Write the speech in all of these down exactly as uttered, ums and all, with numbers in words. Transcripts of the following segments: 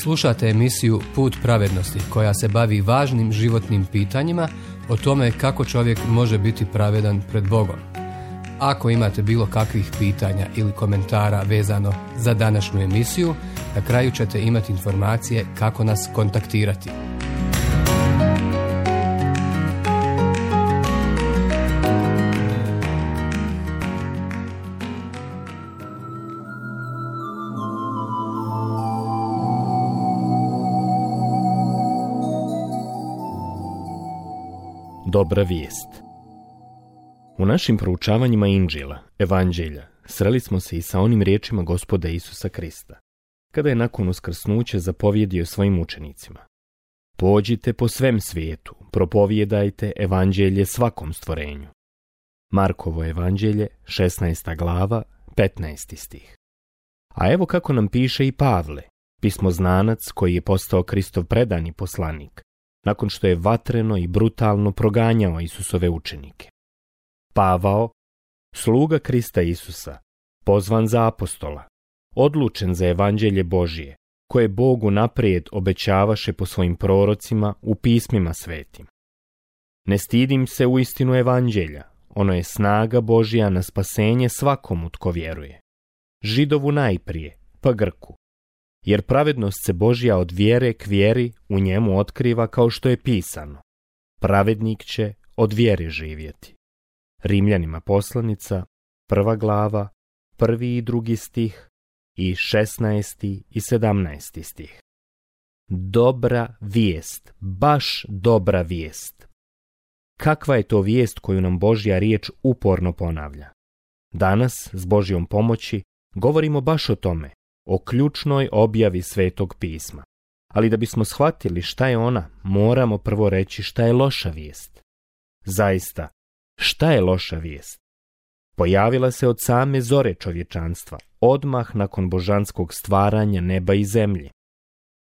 Slušate emisiju Put pravednosti koja se bavi važnim životnim pitanjima o tome kako čovjek može biti pravedan pred Bogom. Ako imate bilo kakvih pitanja ili komentara vezano za današnju emisiju, na kraju ćete imati informacije kako nas kontaktirati. Dobra vijest. U našim proučavanjima Inđila, Evanđelja, sreli smo se i sa onim riječima Gospoda Isusa Krista, kada je nakon uskrsnuća zapovjedio svojim učenicima: Pođite po svem svijetu, propovijedajte Evanđelje svakom stvorenju. Markovo Evanđelje, šesnaesta glava, petnaesti stih. A evo kako nam piše i Pavle, pismoznanac koji je postao Kristov predani poslanik, nakon što je vatreno i brutalno proganjao Isusove učenike. Pavao, sluga Krista Isusa, pozvan za apostola, odlučen za Evanđelje Božije, koje Bogu naprijed obećavaše po svojim prorocima u pismima svetim. Ne stidim se u istinu Evanđelja, ono je snaga Božja na spasenje svakomu tko vjeruje. Židovu najprije, pa Grku. Jer pravednost se Božja od vjere k vjeri u njemu otkriva kao što je pisano: pravednik će od vjere živjeti. Rimljanima poslanica, prva glava, prvi i drugi stih i šesnaesti i sedamnaesti stih. Dobra vijest, baš dobra vijest. Kakva je to vijest koju nam Božja riječ uporno ponavlja? Danas, s Božjom pomoći, govorimo baš o tome, o ključnoj objavi Svetog pisma. Ali da bismo shvatili šta je ona, moramo prvo reći šta je loša vijest. Zaista, šta je loša vijest? Pojavila se od same zore čovječanstva, odmah nakon božanskog stvaranja neba i zemlje.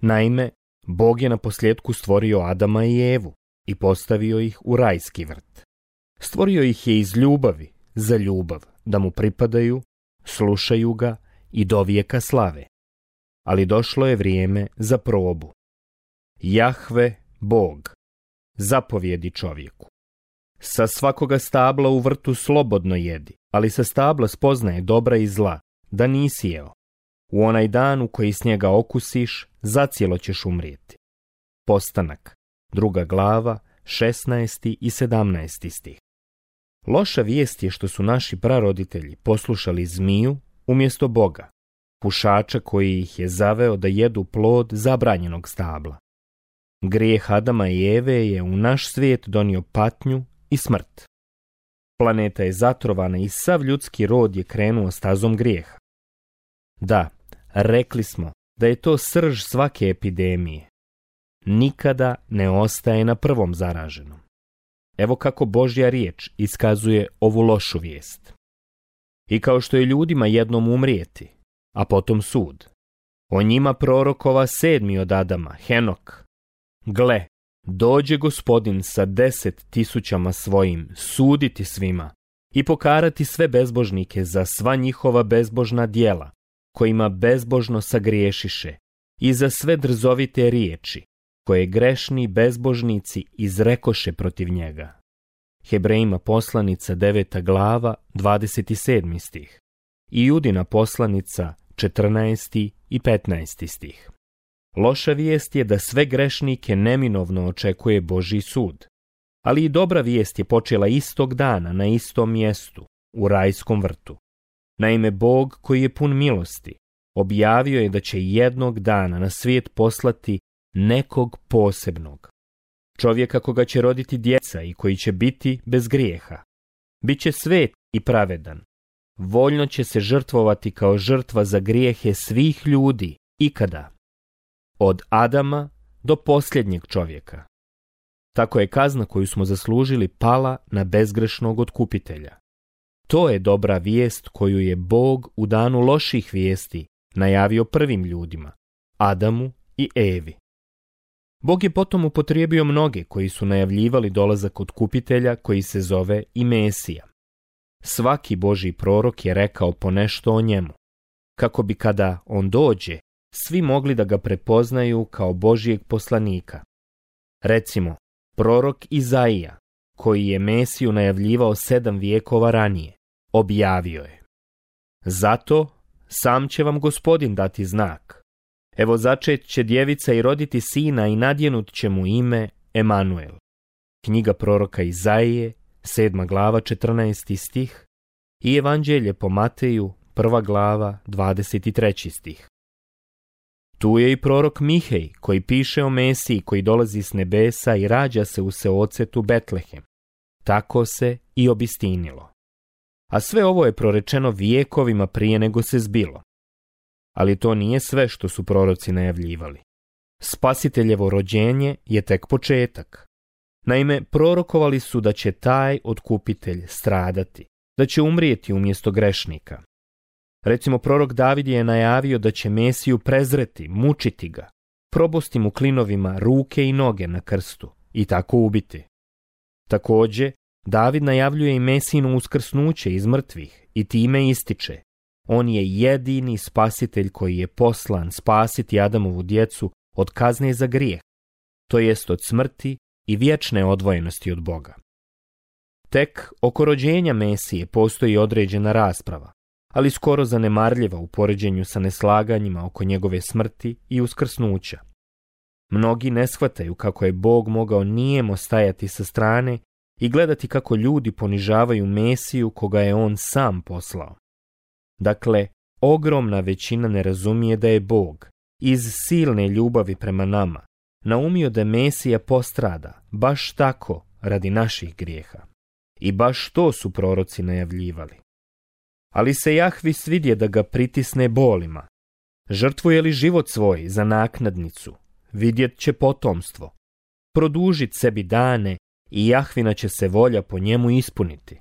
Naime, Bog je na posljedku stvorio Adama i Evu i postavio ih u rajski vrt. Stvorio ih je iz ljubavi, za ljubav, da mu pripadaju, slušaju ga i do vijeka slave. Ali došlo je vrijeme za probu. Jahve, Bog, zapovjedi čovjeku: sa svakoga stabla u vrtu slobodno jedi, ali sa stabla spoznaje dobra i zla, da nisi jeo. U onaj dan u koji s njega okusiš, zacijelo ćeš umrijeti. Postanak, druga glava, šesnaesti i sedamnaesti stih. Loša vijest je što su naši praroditelji poslušali zmiju umjesto Boga, pušača koji ih je zaveo da jedu plod zabranjenog stabla. Grijeh Adama i Eve je u naš svijet donio patnju i smrt. Planeta je zatrovana i sav ljudski rod je krenuo stazom grijeha. Da, rekli smo da je to srž svake epidemije. Nikada ne ostaje na prvom zaraženom. Evo kako Božja riječ iskazuje ovu lošu vijest. I kao što je ljudima jednom umrijeti, a potom sud, o njima prorokova sedmi od Adama, Henok: gle, dođe Gospodin sa deset tisućama svojim suditi svima i pokarati sve bezbožnike za sva njihova bezbožna djela, kojima bezbožno sagriješiše, i za sve drzovite riječi, koje grešni bezbožnici izrekoše protiv njega. Hebrejima poslanica deveta glava, dvadeset sedmi stih. I Judina poslanica četrnaesti i petnaesti stih. Loša vijest je da sve grešnike neminovno očekuje Božji sud. Ali i dobra vijest je počela istog dana na istom mjestu, u rajskom vrtu. Naime, Bog, koji je pun milosti, objavio je da će jednog dana na svijet poslati nekog posebnog. Čovjeka koga će roditi djeca i koji će biti bez grijeha. Biće svet i pravedan. Voljno će se žrtvovati kao žrtva za grijehe svih ljudi ikada. Od Adama do posljednjeg čovjeka. Tako je kazna koju smo zaslužili pala na bezgrešnog otkupitelja. To je dobra vijest koju je Bog u danu loših vijesti najavio prvim ljudima, Adamu i Evi. Bog je potom upotrijebio mnoge koji su najavljivali dolazak otkupitelja koji se zove i Mesija. Svaki Božji prorok je rekao ponešto o njemu, kako bi kada on dođe, svi mogli da ga prepoznaju kao Božijeg poslanika. Recimo, prorok Izaija, koji je Mesiju najavljivao sedam vijekova ranije, objavio je: Zato sam će vam Gospodin dati znak. Evo začet će djevica i roditi sina i nadjenut će mu ime Emanuel. Knjiga proroka Izaije, sedma glava, četrnaesti stih, i Evanđelje po Mateju, prva glava, dvadeset treći stih. Tu je i prorok Mihej, koji piše o Mesiji koji dolazi s nebesa i rađa se u seocetu Betlehem. Tako se i obistinilo. A sve ovo je prorečeno vijekovima prije nego se zbilo. Ali to nije sve što su proroci najavljivali. Spasiteljevo rođenje je tek početak. Naime, prorokovali su da će taj otkupitelj stradati, da će umrijeti umjesto grešnika. Recimo, prorok David je najavio da će Mesiju prezreti, mučiti ga, probosti mu klinovima ruke i noge na krstu i tako ubiti. Također, David najavljuje i Mesijino uskrsnuće iz mrtvih i time ističe: on je jedini spasitelj koji je poslan spasiti Adamovu djecu od kazne za grijeh, to jest od smrti i vječne odvojenosti od Boga. Tek oko rođenja Mesije postoji određena rasprava, ali skoro zanemarljiva u poređenju sa neslaganjima oko njegove smrti i uskrsnuća. Mnogi ne shvataju kako je Bog mogao nijemo stajati sa strane i gledati kako ljudi ponižavaju Mesiju koga je on sam poslao. Dakle, ogromna većina ne razumije da je Bog, iz silne ljubavi prema nama, naumio da Mesija postrada baš tako radi naših grijeha. I baš to su proroci najavljivali. Ali se Jahvi svidje da ga pritisne bolima. Žrtvuje li život svoj za naknadnicu, vidjet će potomstvo. Produžit sebi dane i Jahvina će se volja po njemu ispuniti.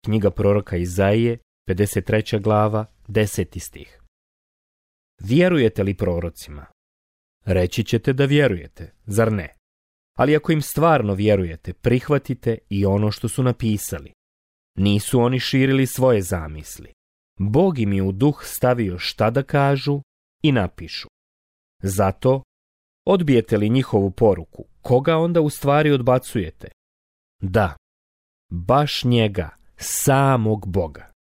Knjiga proroka Izaije, pedeset treća glava, deseti stih. Vjerujete li prorocima? Reći ćete da vjerujete, zar ne? Ali ako im stvarno vjerujete, prihvatite i ono što su napisali. Nisu oni širili svoje zamisli. Bog im je u duh stavio šta da kažu i napišu. Zato, odbijete li njihovu poruku, koga onda u stvari odbacujete? Da, baš njega, samog Boga.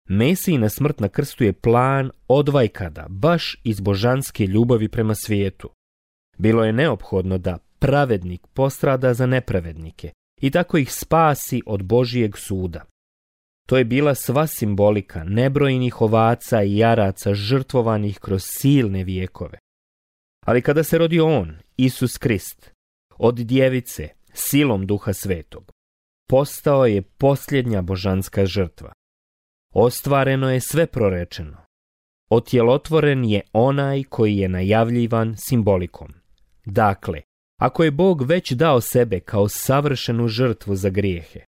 Mesijina smrt na krstu je plan odvajkada, baš iz božanske ljubavi prema svijetu. Bilo je neophodno da pravednik postrada za nepravednike i tako ih spasi od Božijeg suda. To je bila sva simbolika nebrojnih ovaca i jaraca žrtvovanih kroz silne vijekove. Ali kada se rodio on, Isus Krist, od djevice, silom Duha Svetog, postao je posljednja božanska žrtva. Ostvareno je sve prorečeno. Otjelotvoren je onaj koji je najavljivan simbolikom. Dakle, ako je Bog već dao sebe kao savršenu žrtvu za grijehe,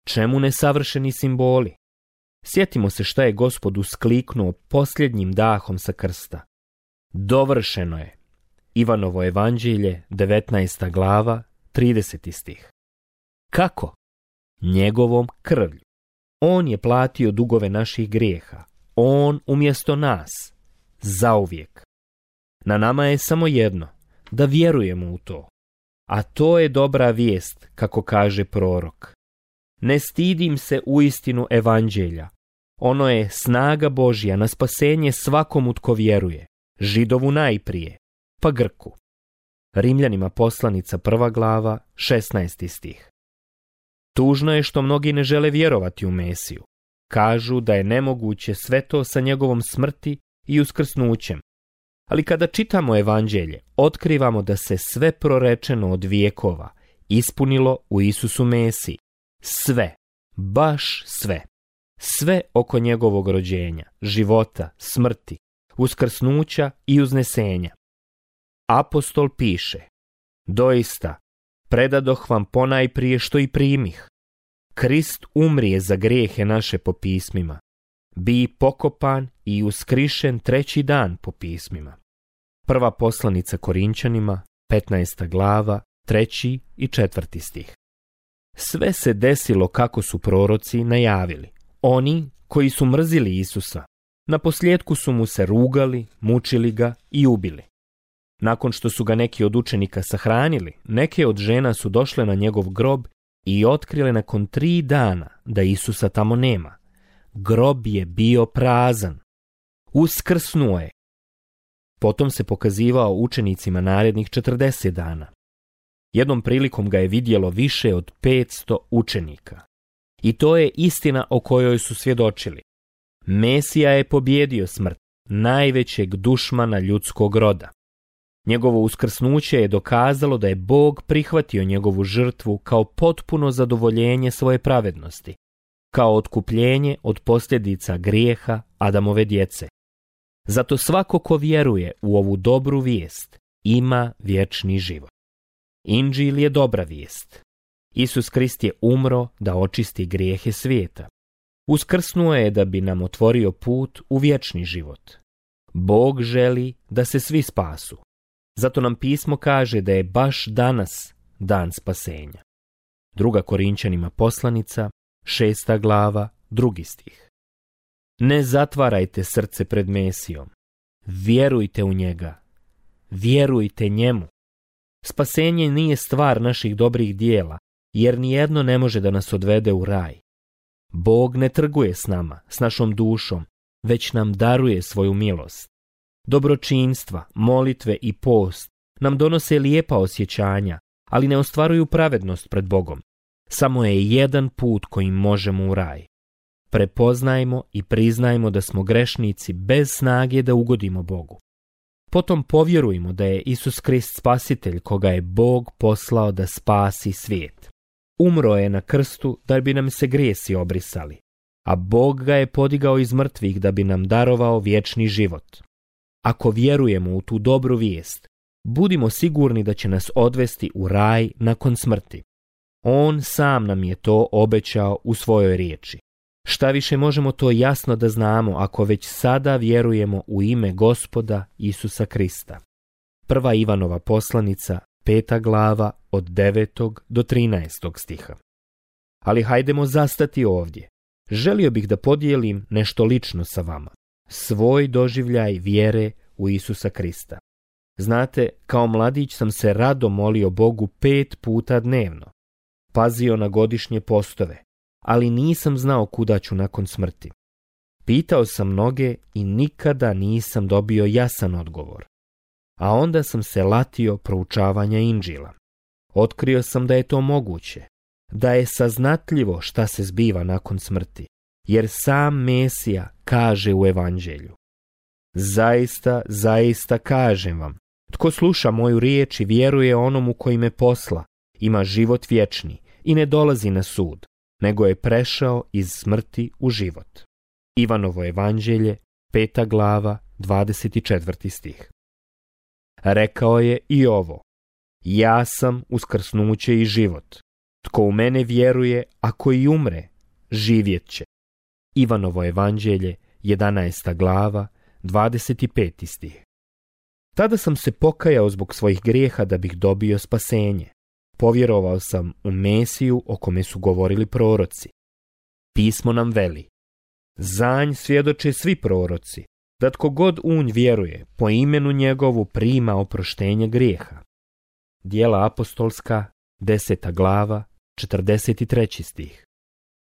čemu nesavršeni simboli? Sjetimo se šta je Gospod uskliknuo posljednjim dahom sa krsta. Dovršeno je. Ivanovo evanđelje, devetnaesta glava, trideseti stih. Kako? Njegovom krvlju. On je platio dugove naših grijeha. On umjesto nas. Zauvijek. Na nama je samo jedno, da vjerujemo u to. A to je dobra vijest, kako kaže prorok. Ne stidim se uistinu evanđelja. Ono je snaga Božja na spasenje svakomu tko vjeruje. Židovu najprije, pa Grku. Rimljanima poslanica prva glava, šesnaesti stih. Tužno je što mnogi ne žele vjerovati u Mesiju. Kažu da je nemoguće sve to sa njegovom smrti i uskrsnućem. Ali kada čitamo evanđelje, otkrivamo da se sve prorečeno od vijekova ispunilo u Isusu Mesiji. Sve, baš sve. Sve oko njegovog rođenja, života, smrti, uskrsnuća i uznesenja. Apostol piše: doista, predadoh vam ponajprije što i primih. Krist umrije za grijehe naše po pismima. Bi pokopan i uskrišen treći dan po pismima. Prva poslanica Korinčanima, petnaesta glava, treći i četvrti stih. Sve se desilo kako su proroci najavili. Oni koji su mrzili Isusa, Na posljedku su mu se rugali, mučili ga i ubili. Nakon što su ga neki od učenika sahranili, neke od žena su došle na njegov grob i otkrile nakon tri dana da Isusa tamo nema. Grob je bio prazan. Uskrsnuo je. Potom se pokazivao učenicima narednih četrdeset dana. Jednom prilikom ga je vidjelo više od petsto učenika. I to je istina o kojoj su svjedočili. Mesija je pobjedio smrt, najvećeg dušmana ljudskog roda. Njegovo uskrsnuće je dokazalo da je Bog prihvatio njegovu žrtvu kao potpuno zadovoljenje svoje pravednosti, kao otkupljenje od posljedica grijeha Adamove djece. Zato svako ko vjeruje u ovu dobru vijest ima vječni život. Inđil je dobra vijest. Isus Krist je umro da očisti grijehe svijeta. Uskrsnuo je da bi nam otvorio put u vječni život. Bog želi da se svi spasu. Zato nam pismo kaže da je baš danas dan spasenja. Druga Korinčanima poslanica, šesta glava, drugi stih. Ne zatvarajte srce pred Mesijom. Vjerujte u njega. Vjerujte njemu. Spasenje nije stvar naših dobrih dijela, jer nijedno ne može da nas odvede u raj. Bog ne trguje s nama, s našom dušom, već nam daruje svoju milost. Dobročinstva, molitve i post nam donose lijepa osjećanja, ali ne ostvaruju pravednost pred Bogom. Samo je jedan put kojim možemo u raj. Prepoznajmo i priznajmo da smo grešnici bez snage da ugodimo Bogu. Potom povjerujmo da je Isus Krist spasitelj koga je Bog poslao da spasi svijet. Umro je na krstu da bi nam se grijesi obrisali, a Bog ga je podigao iz mrtvih da bi nam darovao vječni život. Ako vjerujemo u tu dobru vijest, budimo sigurni da će nas odvesti u raj nakon smrti. On sam nam je to obećao u svojoj riječi. Šta više možemo to jasno da znamo ako već sada vjerujemo u ime Gospoda Isusa Krista. Prva Ivanova poslanica, peta glava, od devetog do trinaestog stiha. Ali hajdemo zastati ovdje. Želio bih da podijelim nešto lično sa vama. Svoj doživljaj vjere u Isusa Krista. Znate, kao mladić sam se rado molio Bogu pet puta dnevno. Pazio na godišnje postove, ali nisam znao kuda ću nakon smrti. Pitao sam mnoge i nikada nisam dobio jasan odgovor. A onda sam se latio proučavanja Inđila. Otkrio sam da je to moguće, da je saznatljivo šta se zbiva nakon smrti, jer sam Mesija kaže u Evanđelju. Zaista, zaista kažem vam, tko sluša moju riječ i vjeruje onomu koji me posla, ima život vječni i ne dolazi na sud, nego je prešao iz smrti u život. Ivanovo Evanđelje, peta glava, dvadeset četvrti stih. Rekao je i ovo: ja sam uskrsnuće i život. Tko u mene vjeruje, ako i umre, živjet će. Ivanovo Evanđelje, jedanaesta glava, dvadeset peti stih. Tada sam se pokajao zbog svojih grijeha da bih dobio spasenje. Povjerovao sam u Mesiju o kome su govorili proroci. Pismo nam veli: za nj svjedoče svi proroci, da tko god u nj vjeruje, po imenu njegovu prima oproštenje grijeha. Djela apostolska, deseta glava, četrdeset treći stih.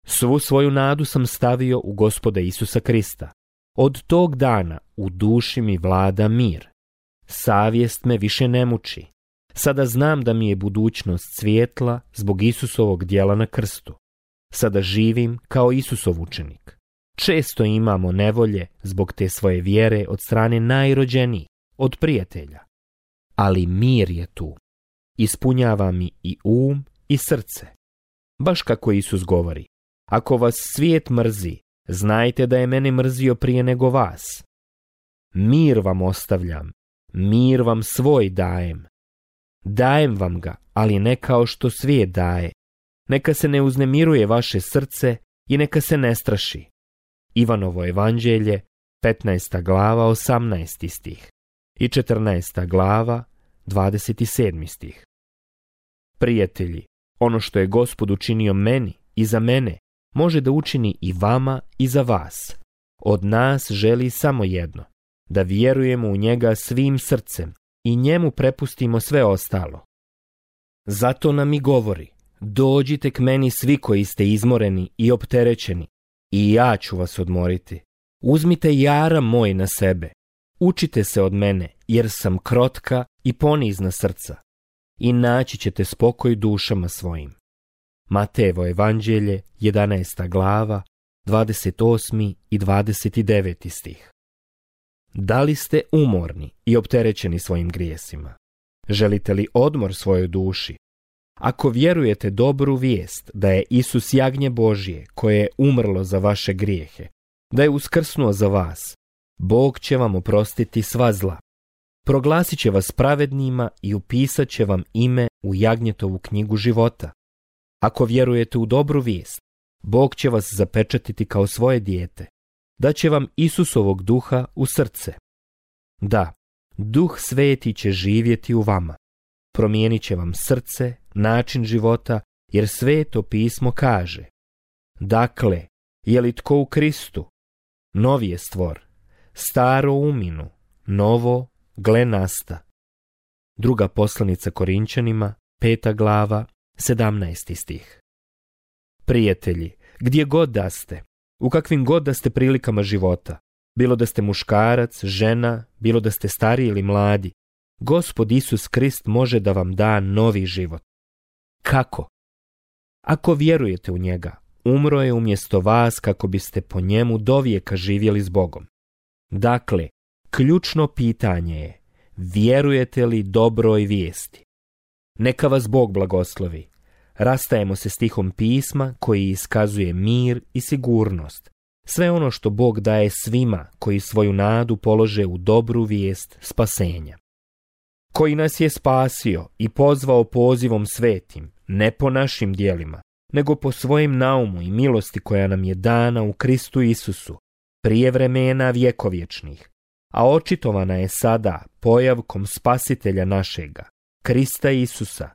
Svu svoju nadu sam stavio u Gospoda Isusa Krista. Od tog dana u duši mi vlada mir. Savjest me više ne muči. Sada znam da mi je budućnost svijetla zbog Isusovog djela na krstu. Sada živim kao Isusov učenik. Često imamo nevolje zbog te svoje vjere od strane najrođenijih, od prijatelja. Ali mir je tu. Ispunjava mi i um i srce. Baš kako Isus govori: ako vas svijet mrzi, znajte da je mene mrzio prije nego vas. Mir vam ostavljam, mir vam svoj dajem. Dajem vam ga, ali ne kao što svijet daje. Neka se ne uznemiruje vaše srce i neka se ne straši. Ivanovo Evanđelje, petnaesta glava, osamnaesti stih i četrnaesta glava, dvadeset sedmi stih. Prijatelji, ono što je Gospod učinio meni i za mene, može da učini i vama i za vas. Od nas želi samo jedno, da vjerujemo u njega svim srcem i njemu prepustimo sve ostalo. Zato nam i govori, dođite k meni svi koji ste izmoreni i opterećeni, i ja ću vas odmoriti. Uzmite jaram moj na sebe, učite se od mene, jer sam krotka i ponizna srca, i naći ćete spokoj dušama svojim. Matejevo evanđelje, jedanaesta glava, dvadeset osmi i dvadeset deveti stih. Da li ste umorni i opterećeni svojim grijesima? Želite li odmor svojoj duši? Ako vjerujete dobru vijest da je Isus jagnje Božje koje je umrlo za vaše grijehe, da je uskrsnuo za vas, Bog će vam oprostiti sva zla. Proglasit će vas pravednima i upisat će vam ime u jagnjetovu knjigu života. Ako vjerujete u dobru vijest, Bog će vas zapečatiti kao svoje dijete. Daće vam Isusovog duha u srce. Da, Duh Sveti će živjeti u vama. Promijenit će vam srce, način života, jer Sveto pismo kaže: dakle, je li tko u Kristu? Novi je stvor, staro uminu, novo gle nasta. Druga poslanica Korinčanima, peta glava, sedamnaesti stih. Prijatelji, gdje god da ste, u kakvim god da ste prilikama života, bilo da ste muškarac, žena, bilo da ste stariji ili mladi, Gospod Isus Krist može da vam da novi život. Kako? Ako vjerujete u njega, umro je umjesto vas kako biste po njemu dovijeka živjeli s Bogom. Dakle, ključno pitanje je, vjerujete li dobroj vijesti? Neka vas Bog blagoslovi. Rastajemo se stihom pisma koji iskazuje mir i sigurnost. Sve ono što Bog daje svima koji svoju nadu polože u dobru vijest spasenja. Koji nas je spasio i pozvao pozivom svetim, ne po našim djelima, nego po svojem naumu i milosti koja nam je dana u Kristu Isusu, prije vremena vjekovječnih, a očitovana je sada pojavkom Spasitelja našega, Krista Isusa,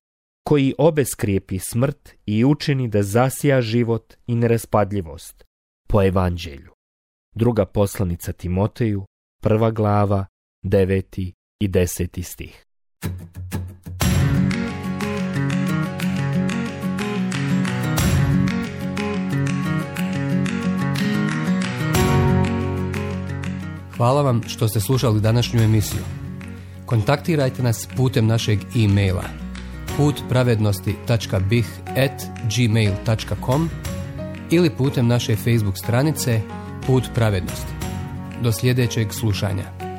koji obeskrijepi smrt i učini da zasija život i neraspadljivost, po evanđelju. Druga poslanica Timoteju, prva glava, deveti i deseti stih. Hvala vam što ste slušali današnju emisiju. Kontaktirajte nas putem našeg e-maila putpravednosti tačka bih at gmail tačka com ili putem naše Facebook stranice Put pravednosti. Do sljedećeg slušanja.